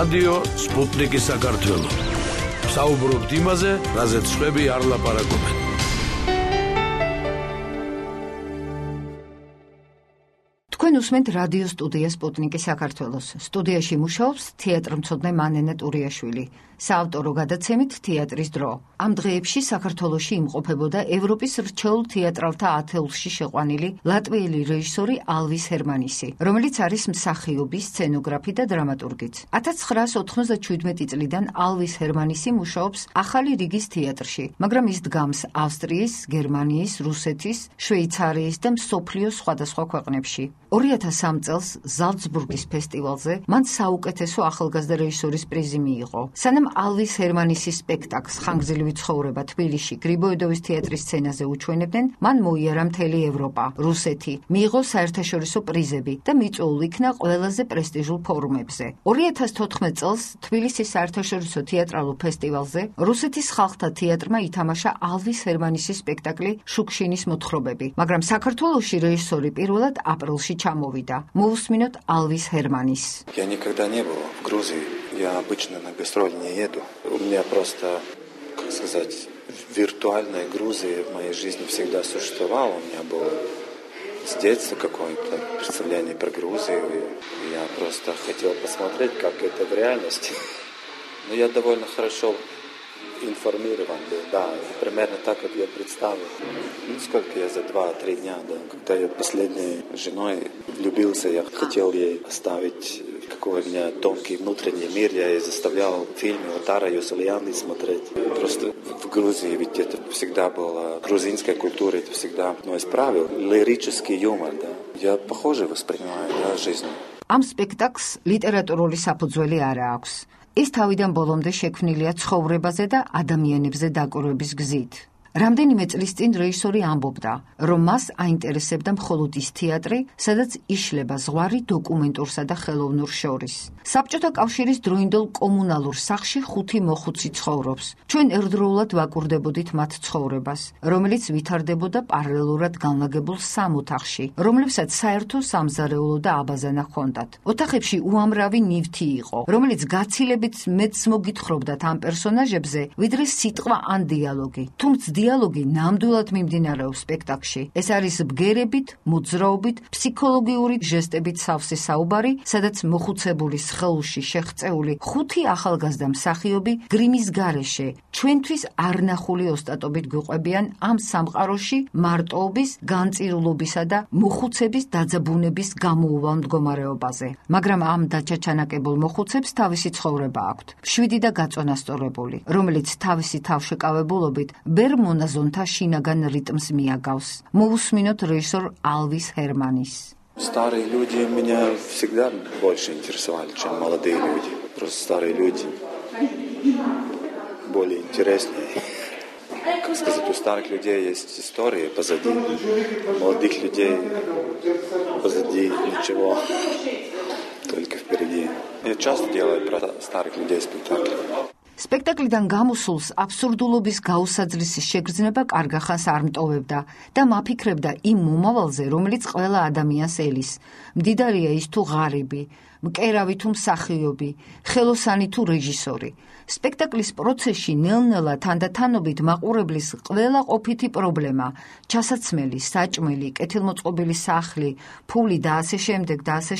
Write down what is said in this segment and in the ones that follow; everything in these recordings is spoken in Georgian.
რადიო სპუტნიკი საქართველო. საუბრობთ იმაზე, რაზეც სხვები არ ლაპარაკობენ. თქვენ უსმენთ რადიო სტუდია სპუტნიკი საქართველოს. სტუდიაში მუშაობს თეატრმცოდნე მანენე ტურიაშვილი. საავტორო გადაცემით თეატრის დრო. ამ დღეებში საქართველოში იმყოფებოდა ევროპის რჩეულ თეატრალთა ათეულში შეყვანილი ლატვიელი რეჟისორი ალვის ჰერმანისი, რომელიც არის მსახიობი, სცენოგრაფი და დრამატურგიც. 1997 წლიდან ალვის ჰერმანისი მუშაობს ახალი რიგის თეატრში, მაგრამ ის დგამს ავსტრიის, გერმანიის, რუსეთის, შვეიცარიის და მსოფლიოს სხვადასხვა ქვეყნებში. 2003 წელს ზალცბურგის ფესტივალზე მან საუკეთესო ახალგაზრდა რეჟისორის პრიზი მიიღო. სანამ ალვის ჰერმანისის სპექტაკლს ხანგრძლივი ცხოვრება თბილისში გრიბოედოვის თეატრის სცენაზე უჩვენებდნენ, მან მოიარა მთელი ევროპა, რუსეთი, მიიღო საერთაშორისო პრიზები და მიწვეულ იქნა ყველაზე პრესტიჟულ ფორუმებზე. 2014 წელს თბილისის საერთაშორისო თეატრალურ ფესტივალზე რუსეთის ხალხთა თეატრმა ითამაშა ალვის ჰერმანისის სპექტაკლი შუქშინის მოთხრობები, მაგრამ საქართველოში რეჟისორი პირველად აპრილში ჩამოვიდა. Мовусминот Алвис Херманис. Я никогда не был в Грузии. Я обычно на гастроли не еду. У меня просто, как сказать, виртуальная Грузия в моей жизни всегда существовала. У меня было с детства какое-то представление про Грузию. И я просто хотел посмотреть, как это в реальности. Но я довольно хорошо информирован был, да, примерно так, как я представил. Сколько я за 2-3 дня, да, когда я последней женой влюбился, я хотел ей оставить, какой у меня тонкий внутренний мир, я ей заставлял фильмы Отара Юсулианы смотреть. Просто в Грузии, ведь это всегда была грузинская культура, это всегда одно из правил, лирический юмор, да. Я похоже воспринимаю, да, жизнь. Am spectacles ლიტერატურული საფუძველი არა აქვს. ის თავიდან ბოლომდე შექმნილია ცხოვრებაზე და ადამიანებზე დაკვირვების გზით. რამდენიმე წლის წინ რეჟისორი ამბობდა, რომ მას აინტერესებდა მხოლოდ ის თეატრი, სადაც იშლება ზღვარი დოკუმენტურსა და ხელოვნურ შორის. საბჭოთა კავშირის დროინდელ კომუნალურ სახლში 5 მოხუცი ცხოვრობს. ჩვენ ერთდროულად ვაკურდებოდით მათ ცხოვრებას, რომელიც ვითარდებოდა პარალელურად განლაგებულ 3 ოთახში, რომლებსაც საერთო სამზარეულო და აბაზანა ჰქონდათ. ოთახებში უამრავი ნივთი იყო, რომელიც გაცილებით მეც მოგითხრობდათ ამ პერსონაჟებზე, ვიდრე სიტყვა ან დიალოგი. თუმცა დიალოგი ნამდვილად მიმდინარეობს სპექტაკლში. ეს არის ბგერებით, მოძრაობით, ფსიქოლოგიური ჟესტებით სავსე საუბარი, სადაც მოხუცებულის ხელში შეღწეული 5 ახალგაზრდა მსახიობი გრიმის გარეშე ჩვენთვის არნახული ოსტატობით გვიყვებიან ამ სამყაროში მარტოობის, განწირულობისა და მოხუცების დაძაბუნების გამოუვალ მდგომარეობაზე. მაგრამ ამ დაჩაჩანაკებულ მოხუცებს თავისი ცხოვრება აქვთ, მშვიდი და გაწონასწორებული, რომელიც თავისი თავშეკავებულობით ვერ მონაზონთა შინაგან რიტმს მიაგავს. Мовусминот режиссер Алвис Херманис. Старые люди меня всегда больше интересовали, чем молодые люди. Просто старые люди более интереснее. Как сказать, у старых людей есть история позади, у молодых людей позади ничего, только впереди. Я часто делаю про старых людей спектакли. სპექტაკლიდან გამოსულს აბსურდულობის გაუსაძლისის შეგრძნება კარგახანს არ მტოვებდა და მაფიქრებდა იმ მომავალზე, რომელიც ყველა ადამიანს ელის. მდიდარია ის თუ ღარიბი, მკერავი თუ მსახიობი, ხელოსანი თუ რეჟისორი. სპექტაკლის პროცესში ნელ-ნელა თანდათანობით მაყურებლის ყველა ყოფითი პრობლემა, ჩასაცმელი, საჭმელი, კეთილმოწყობილი სახლი, ფული და ასე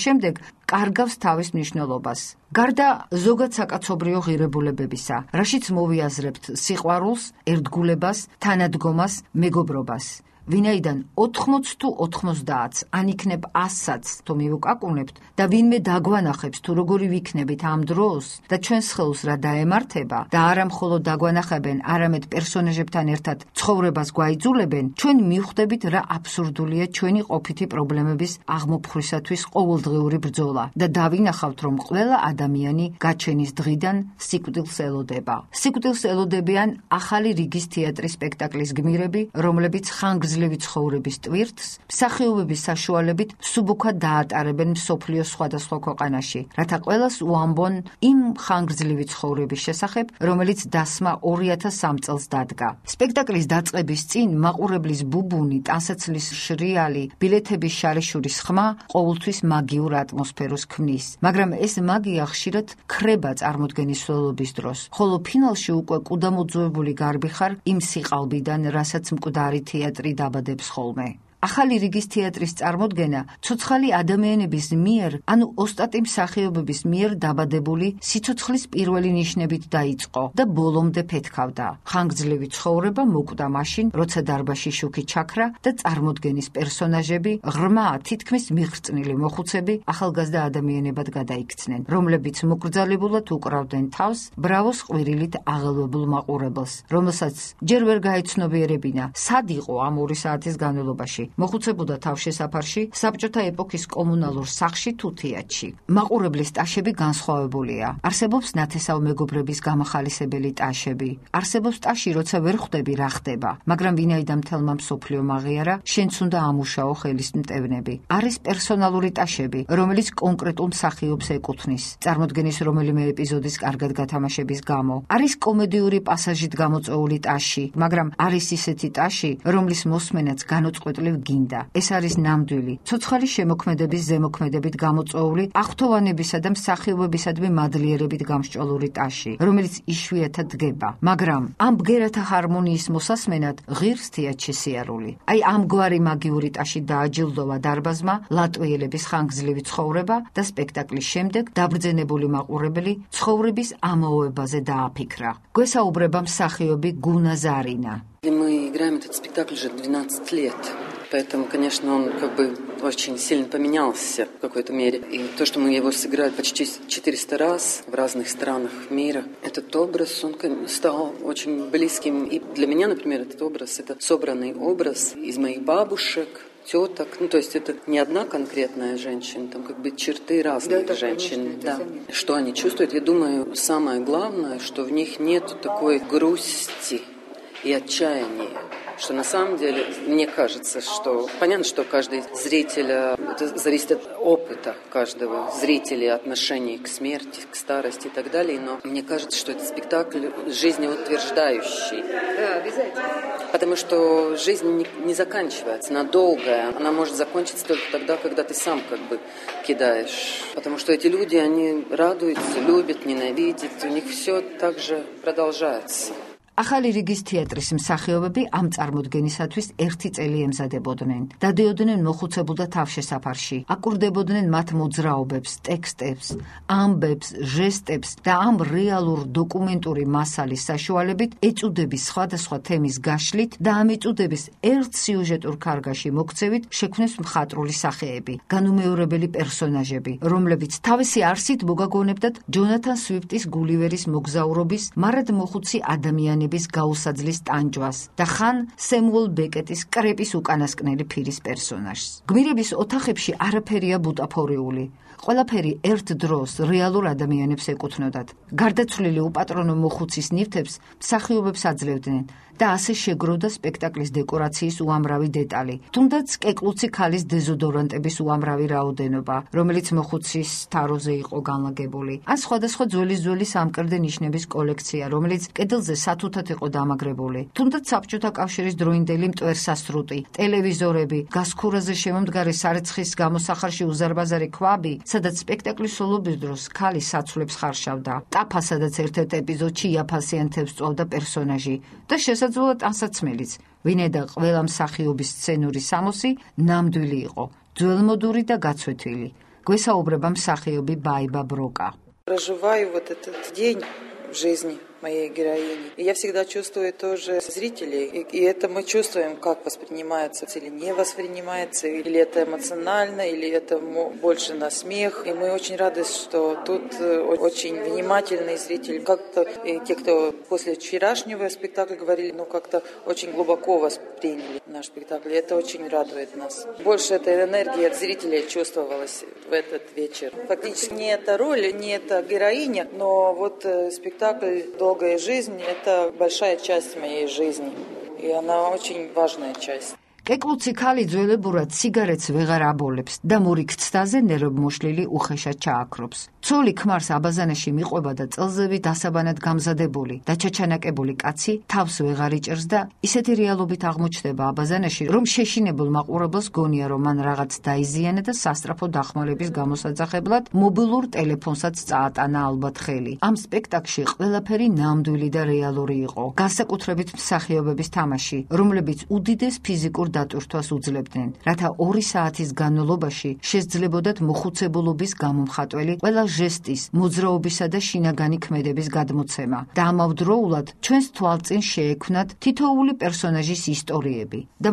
შემდეგ, კარგავს თავის მნიშვნელობას. გარდა ზოგად საკაცობრიო ღირებულებებისა, რაშიც მოვიაზრებთ სიყვარულს, ერთგულებას, თანადგომას, მეგობრობას. ვინაიდან 80 თუ 90-ს, ან იქნებ 100-საც თუ მივუკაკუნებთ და ვინმე დაგვანახებს თუ როგორი ვიქნებით ამ დროს და ჩვენს ხელს რა დაემართება და არა მხოლოდ დაგვანახებენ, არამედ პერსონაჟებთან ერთად ცხოვრებას გვაიძულებენ, ჩვენ მივხვდებით რა აბსურდულია ჩვენი ყოფითი პრობლემების აღმოფხვისათვის ყოველდღიური ბრძოლა და დავინახავთ, რომ ყველა ადამიანი გაჩენის დღიდან სიკვდილს ელოდება. სიკვდილს ელოდებიან ახალი რიგის თეატრის სპექტაკლის გმირები, რომლებიც ხანგრძლივ ხანგრძლივი ცხოვრების ტვირთს მსახიობების საშუალებით სუბუქად დაატარებენ მსოფლიოს სხვადასხვა ქვეყანაში, რათა ყველას უამბონ იმ ხანგრძლივი ცხოვრების შესახებ, რომელიც დასმა 2003 წელს დადგა. სპექტაკლის დაწყების წინ მაყურებლის ბუბუნი, ტანსაცმლის შრიალი, ბილეთების შარიშურის ხმა ყოველთვის მაგიურ ატმოსფეროს ქმნის, მაგრამ ეს მაგია ხშირად ქრება წარმოდგენის სრულობის დროს, ხოლო ფინალში უკვე კუდამოძუებული გარბიხარ იმ სიყალბიდან, რასაც მკვდარი თეატრი დაბადებს ხოლმე. ახალი რიგის თეატრის წარმოდგენა ცოცხალი ადამიანების მიერ, ანუ ოსტატი მსახიობების მიერ დაბადებული სიცოცხლის პირველი ნიშნებით დაიწყო და ბოლომდე ფეთქავდა. ხანგრძლივი ცხოვრება მოკვდა მაშინ, როცა დარბაზში შუქი ჩაქრა და წარმოდგენის პერსონაჟები, ღრმა, თითქმის მიღრწნილი მოხუცები ახალგაზრდა ადამიანებად გადაიქცნენ, რომლებიც მოკრძალებულად უკრავდნენ თავს ბრავოს ყვირილით აღელვებულ მაყურებელს, რომელსაც ჯერ ვერ გაეცნობიერებინა, სად იყო ამ 2 საათის განმავლობაში. მოხუცებოდა თავშესაფარში, საბჭოთა ეპოქის კომუნალურ სახლში თუ თეატრში. მაყურებლის ტაშები განსხვავებულია. არსებობს ნათესავ მეგობრების გამახალისებელი ტაშები. არსებობს ტაში, როცა ვერ ხვდები რა ხდება, მაგრამ ვინაიდან მთელმა მსოფლიომ აღიარა, შენც უნდა ამუშაო ხელის მტევნები. არის პერსონალური ტაშები, რომელიც კონკრეტულ მსახიობს ეკუთვნის, წარმოდგენის რომელიმე ეპიზოდის კარგად გათამაშების გამო. არის კომედიური პასაჟით გამოწვეული ტაში, მაგრამ არის ისეთი ტაში, რომლის მოსმენაც განუწყვეტლივ გინდა. ეს არის ნამდვილი, ცოცხალი შემოქმედების ზემოქმედებით გამოწვეული, აღთოვანებისა და მსახიობებისადმი მადლიერებით გამსჭვალული ტაში, რომელიც იშვიათად დგება. მაგრამ ამ ბგერათა ჰარმონიის მოსასმენად ღირს თეატრში სიარული. აი ამგვარი მაგიური ტაში დააჯილდოვა დარბაზმა ლატვიელების ხანგრძლივი ცხოვრება და სპექტაკლის შემდეგ დაბრძენებული მაყურებელი ცხოვრების ამაოებაზე დააფიქრა. გვესაუბრება მსახიობი გუნა Зарина. Мы играем этот спектакль уже 12 лет. Поэтому, конечно, он как бы очень сильно поменялся в какой-то мере. И то, что мы его сыграли почти 400 раз в разных странах мира, этот образ, он стал очень близким. И для меня, например, этот образ, это собранный образ из моих бабушек, теток. Ну, то есть это не одна конкретная женщина, там как бы черты разных женщин. Да. Что они чувствуют? Я думаю, самое главное, что в них нет такой грусти и отчаяния. Что на самом деле, мне кажется, что понятно, что каждый зритель, это зависит от опыта каждого зрителя, отношений к смерти, к старости и так далее, но мне кажется, что это спектакль жизнеутверждающий. Да, обязательно. Потому что жизнь не заканчивается, она долгая, она может закончиться только тогда, когда ты сам как бы кидаешь. Потому что эти люди, они радуются, любят, ненавидят, у них все так же продолжается. ახალი რიგის თეატრის მსახიობები ამ წარმოდგენისათვის 1 წელი ემზადებოდნენ. დადიოდნენ მოხუცებულ და თავშესაფარში, აკურდებოდნენ მათ მოძრაობებს, ტექსტებს, ამბებს, ჟესტებს და ამ რეალურ დოკუმენტური მასალის საშუალებით ეწუდების სხვადასხვა თემის გაშლით და ამ ეწუდების ერთ სიუჟეტურ კარგაში მოქცევით შექმნეს მხატვრული სახეები, განუმეორებელი პერსონაჟები, რომლებიც თავისი არსით მოგაგონებდათ ჯონათან სვიფტის გულივერის მოგზაურობის მარად მოხუცი ადამიანი გაუსაძლის ტანჯვას და ხან სემუელ ბეკეტის კრეპის უკანასკნელი ფირის პერსონაჟს. გმირების ოთახებში არაფერია ბუტაფორიული. ყველაფერი ერთ დროს რეალურ ადამიანებს ეკუთვნოდათ. გარდაცვლილი უპატრონო მოხუცის ნივთებს მსახიობებს აძლევდნენ და ასე შეგროვდა სპექტაკლის დეკორაციის უამრავი დეტალი. თუნდაც კეკლუცი ქალის დეზოდორანტების უამრავი რაოდენობა, რომელიც მოხუცის თაროზე იყო განლაგებული. ან სხვადასხვა ძველი სამკერდე ნიშნების კოლექცია, რომელიც კედელზე სათუთად იყო დამაგრებული. თუნდაც საბჭოთა კავშირის დროინდელი მტვერსასრუტი, ტელევიზორები, გასქურაზე შემომდგარი სარეცხის გამოსახარში უზარმაზარი ქვაბი, სადაც სპექტაკლის სოლობის დროს ქალი საცვლებს ხარშავდა. ტაფა, სადაც ერთ-ერთ ეპიზოდში იაფასიან თევზს წვავდა პერსონაჟი და შესაძლოა ტანსაცმელიც, ვინაიდან ყველა მსახიობის სცენური სამოსი ნამდვილი იყო, ძველმოდური და გაცვეთილი. გვესაუბრება მსახიობი ბაიბა ბროკა. Проживаю вот этот день в жизни моей героини. И я всегда чувствую тоже зрителей. И это мы чувствуем, как воспринимается или не воспринимается, или это эмоционально, или это больше на смех. И мы очень рады, что тут очень внимательный зритель. Как-то те, кто после вчерашнего спектакля говорили, как-то очень глубоко восприняли наш спектакль. И это очень радует нас. Больше этой энергии от зрителей чувствовалось в этот вечер. Фактически не эта роль, не эта героиня, но вот спектакль «Долгая жизнь» — это большая часть моей жизни, и она очень важная часть. კეკლუცი ქალი ძველებურად სიგარეტს ვეღარ აბოლებს და მურიქცდაზე ნერვმოშლილი უხეშად ჩააქრობს. ცოლი ქმარს აბაზანაში მიყვება და წელზევი დასაბანად გამზადებული და ჩაჩანაკებული კაცი თავს ვეღარ იჭერს და ისეთი რეალობით აღმოჩნდება აბაზანაში, რომ შეშინებულ მაყურებელს გონია, რომ მან რაღაც დაიზიანა და სასწრაფო დახმარების გამოსაძახებლად მობილურ ტელეფონსაც წაატანა ალბათ ხელი. ამ სპექტაკლში ყველაფერი ნამდვილი და რეალური იყო. განსაკუთრებით მსახიობების თამაში, რომლებიც უდიდეს ფიზიკურ დატვირთვას უძლებდნენ, რათა 2 საათის განმავლობაში შესძლებოდათ მოხუცებულობის გამომხატველი ყველა ჟესტის, მოძრაობისა და შინაგანი ქმედების გადმოცემა და ამავდროულად ჩვენს თვალწინ შეექმნათ თითოეული პერსონაჟის ისტორიები და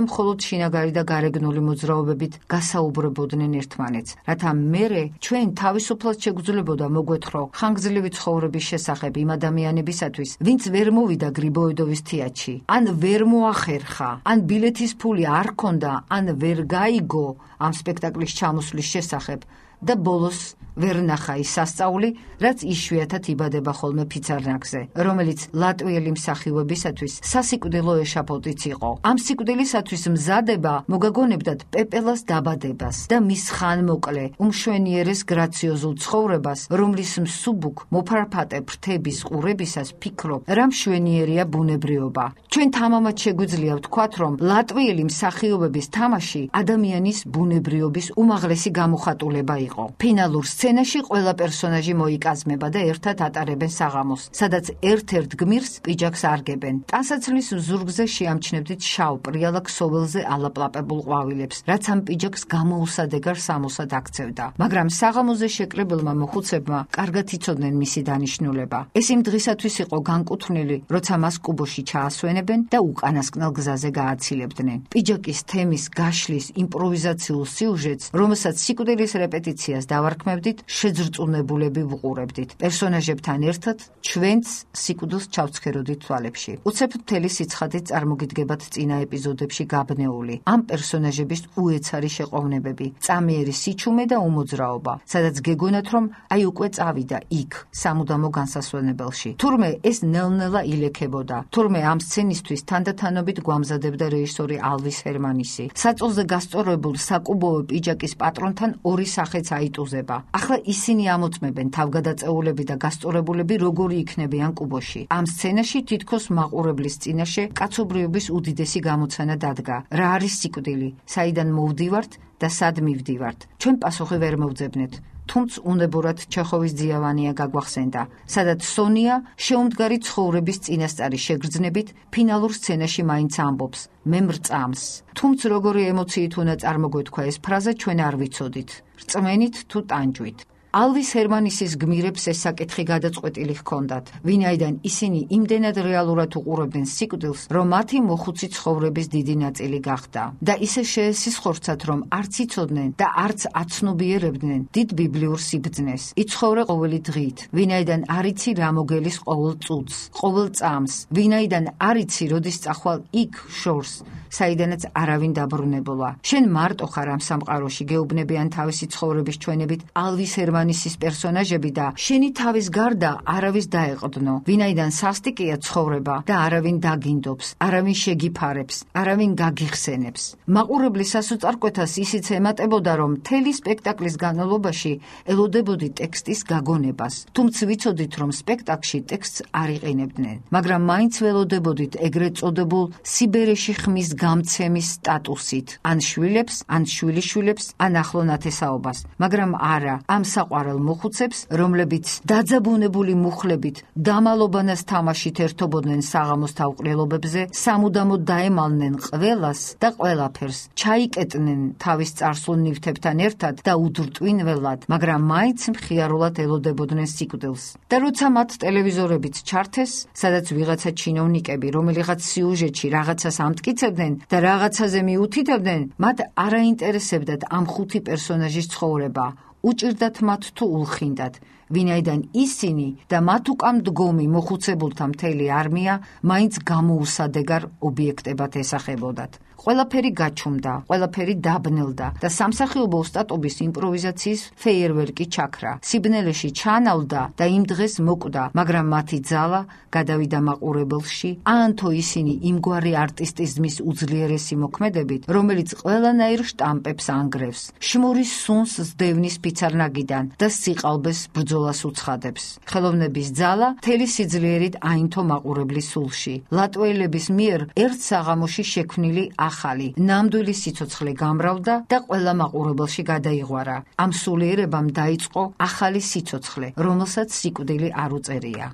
მხოლოდ შინაგანი და გარეგნული მოძრაობებით გასაუბრებოდნენ ერთმანეთს, რათა მერე ჩვენ თავისუფლად შეგვძლებოდა მოგვეთხოვ ხანგრძლივი ცხოვრების შესახებ იმ ადამიანებისათვის, ვინც ვერ მოვიდა გრიბოედოვის თეატრში, ან ვერ მოახერხა, ან ბილეთის ფული არ ქონდა, ან ვერ გაიგო ამ სპექტაკლის ჩამოსვლის შესახებ და ბოლოს ვერ ნახა ის სასწაული, რაც იშვიათად იბადება ხოლმე ფიცარნაკზე, რომელიც ლატვიელი მსახიობისათვის სასიკვდილო ეშაფოტიც იყო. ამ სიკვდილისათვის მზადება მოგაგონებდათ პეპელას დაბადებას და მის ხანმოკლე, უმშვენიერეს გრაციოზულ ცხოვრებას, რომლის მსუბუქ მოფარფატე ფრთების ყურებისას ფიქრობ, რა მშვენიერია ბუნებრიობა. ჩვენ თამამად შეგვიძლია ვთქვათ, რომ ლატვიელი მსახიობების თამაში ადამიანის ბუნებრიობის უმაღლესი გამოხატულება იყო. ფინალურ სცენაში ყველა პერსონაჟი მოიკაზმება და ერთად ატარებენ საღამოს, სადაც ერთ-ერთ გმირს პიჯაკს არგებენ. ტანსაცმლის ზურგზე შეამჩნევდით შავ პრიალა ქსოველზე ალაპლაპებულ ყვავილებს, რაც ამ პიჯაკს გამოუსადეგარ სამოსად აქცევდა. მაგრამ საღამოზე შეკრებილმა მოხუცებმა კარგად იცოდნენ მისი დანიშნულება. ეს იმ დღისათვის იყო განკუთვნილი, როცა მას კუბოში ჩაასვენებენ და უკანასკნელ გზაზე გააცილებდნენ. პიჯაკის თემის გაშლის იმპროვიზაციულ სიუჟეტს, რომელსაც სიკვდილის რეპეტიციას დავარქმევდით, შეძრწუნებულები ვუყურებდით. პერსონაჟებთან ერთად ჩვენც სიკვდილს ჩავცქეროდით თვალებში. უცებ მთელი სიცხადით წარმოგიდგებათ წინა ეპიზოდებში გაბნეული ამ პერსონაჟების უეცარი შეყოვნებები, წამიერი სიჩუმე და უმოძრაობა, სადაც გეგონათ, რომ აი უკვე წავიდა იქ, სამუდამო განსასვენებელში. თურმე ეს ნელ-ნელა ილექებოდა. თურმე ამ სცენისთვის თანდათანობით გვამზადებდა რეჟისორი ალვის ჰერმანისი. საწოლზე გასწორებულ საკუბოვო პიჯაკის პატრონთან 2 სახეც აიტუზება. ახლა ისინი ამოწმებენ თავგადაწეულები და გასწორებულები როგორი იქნებიან კუბოში. ამ სცენაში თითქოს მაყურებლის წინაშე კაცობრიობის უდიდესი გამოცანა დადგა. რა არის სიკვდილი? საიდან მოვდივართ და სად მივდივართ? ჩვენ პასუხი ვერ მოვძებნეთ. თუმცა უნებურად ჩეხოვის ძიავანია გაგვახსენდა, სადაც სონია შეუმდგარი ცხოვრების წინასწარი შეგრძნებით ფინალურ სცენაში მაინც ამბობს: მე მრწამს. თუმცა როგორი ემოციით უნდა წარმოგვეთქვა ეს ფრაზა, ჩვენ არ ვიცოდით. რწმენით თუ ტანჯვით. ალვის ჰერმანისის გმირებს ეს საკითხი გადაწყვეტილი ჰქონდათ, ვინაიდან ისინი იმდენად რეალურად უყურებდნენ სიკვდილს, რომ მათი მოხუცი ცხოვრების დიდი ნაწილი გახდა და ისე შეესისხორცათ, რომ არც იცოდნენ და არც აცნობიერებდნენ დიდ ბიბლიურ სიბრძნეს. იცხოვრე ყოველი დღით, ვინაიდან არ იცი რა მოგელის ყოველ წუთს, ყოველ წამს, ვინაიდან არ იცი როდის წახვალ იქ შორს, საიდანაც არავინ დაბრუნებულა. შენ მარტო ხარ ამ სამყაროში, გეუბნებიან თავისი ცხოვრების ჩვენებით ალვის ჰერმანისის პერსონაჟები და შენი თავის გარდა არავის დაეყრდნო, ვინაიდან სასტიკია ცხოვრება და არავინ დაგინდობს, არავინ შეგიფარებს, არავინ გაგიხსენებს. მაყურებლის სასოწარკვეთას ისიც ემატებოდა, რომ მთელი სპექტაკლის განმავლობაში ელოდებოდი ტექსტის გაგონებას, თუმცა ვიცოდით, რომ სპექტაკლში ტექსტს არ იყენებდნენ, მაგრამ მაინც ველოდებოდით ეგრეთ წოდებულ სიბერეში ხმის გამცემის სტატუსით, ან შვილებს, ან შვილიშვილებს, ან ახლო ნათესაობას, მაგრამ არა ამ საყვარელ მოხუცებს, რომლებიც დაძაბუნებული მუხლებით დამალობანას თამაშით ერთობოდნენ საღამოს თავყრილობებზე, სამუდამოდ დაემალნენ ყველას და ყველაფერს, ჩაიკეტნენ თავის წარსულ ნივთებთან ერთად და უდრტვინველად, მაგრამ მაინც მხიარულად ელოდებოდნენ სიკვდილს. და როცა მათ ტელევიზორებიც ჩართეს, სადაც ვიღაცა ჩინოვნიკები, რომელიღაც სიუჟეტში რაღაცას ამტკიცებდნენ და რაღაცაზე მიუთითებდნენ, მათ არ აინტერესებდათ ამ 5 პერსონაჟის ცხოვრება. უჭირდათ მათ თუ ულხინდათ, ვინაიდან ისინი და მათ უკან მდგომი მოხუცებულთა მთელი არმია მაინც გამოუსადეგარ ობიექტებად ესახებოდათ. ყველაფერი გაჩუმდა, ყველაფერი დაბნელდა და სამსახიობო ოსტატობის იმპროვიზაციის ფეიერვერკი ჩაქრა. სიბნელეში ჩანავდა და იმ დღეს მოკვდა, მაგრამ მათი ძალა გადავიდა მაყურებელში, ანთო ისინი იმგვარი არტისტიზმის უძლიერესი მოქმედებით, რომელიც ყველანაირ შტამპებს ანგრევს, შმურის სუნს სდევნის ფიცარნაგიდან და სიყალბეს ბრძოლას უცხადებს. ხელოვნების ძალა მთელი სიძლიერით აინთო მაყურებლის სულში. ლატვიელების მიერ ერთ საღამოში შექმნილი ახალი, ნამდვილი სიცოცხლე გამრავლდა და ყველა მაყურებელში გადაიღვარა. ამ სულიერებამ დაიწყო ახალი სიცოცხლე, რომელსაც სიკვდილი არ უწერია.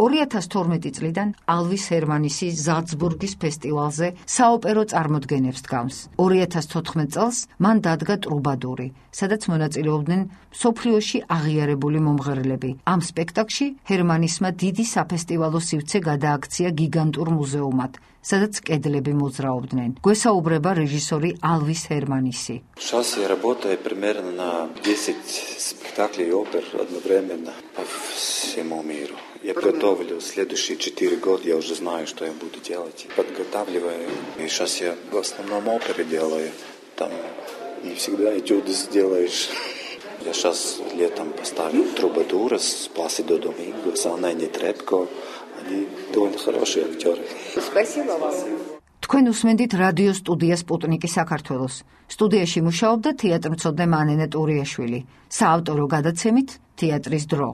$2012 წლიდან ალვის ჰერმანისი ზალცბურგის ფესტივალზე საოპერო წარმოდგენებს დგამს. 2014 წელს მან დადგა ტრუბადური, სადაც მონაწილეობდნენ მსოფლიოში აღიარებული მომღერლები. ამ სპექტაკლში ჰერმანისმა დიდი საფესტივალო სივრცე გადააქცია გიგანტურ მუზეუმად, სადაც კედლები მოძრაობდნენ. გვესაუბრება რეჟისორი ალვის ჰერმანისი. Сейчас я работаю примерно на 10 спектаклей и опер одновременно по всему миру. Я готовлю следующие 4 года, я уже знаю, что я буду делать. Подготавливаю. И сейчас я в основном оперы делаю. Там не всегда этюды сделаешь. Я сейчас летом поставил Трубадура с Пласидо Доминго, с Анной Нетребко. Они довольно хорошие актеры. Спасибо вам. თქვენ უსმენდით რადიო სტუდია სპუტნიკი საქართველოს. სტუდიაში მუშაობდა თეატრმცოდნე მანენე ტურიაშვილი. საავტორო გადაცემით თეატრის დრო.